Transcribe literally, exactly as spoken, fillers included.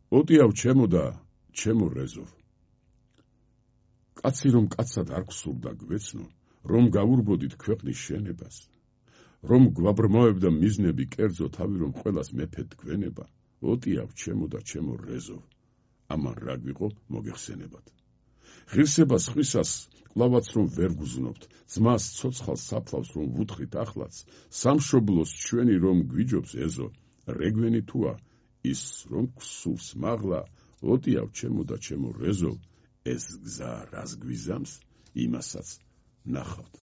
ოტიავ ჩემო და ჩემო რეზოვ. კაცი რომ კაცად არ გსურდა გვეცნო, რომ გავურბოდით ქვეყნის შენებას, რომ გვაბრმავებდა მიზნები კერძო თავი რომ ყველას მეფედ გვენება, ოტიავ ჩემო და ჩემო რეზოვ. ამან რა გვიყო მოგეხსენებათ. ღირსება სხვისას კლავაც რომ ვერ გუზნობთ, ძმას ცოცხალ საფლავს რომ ვუთხრით ახლაც, სამშობლოს ჩვენი რომ გვიჯობს ეზო, რეგვენი თუა ის რომ გსურს მაღლა, ოტიავ ჩემო და ჩემო რეზოვ, ეს გზა რას გვიზამს, იმასაც ნახავთ.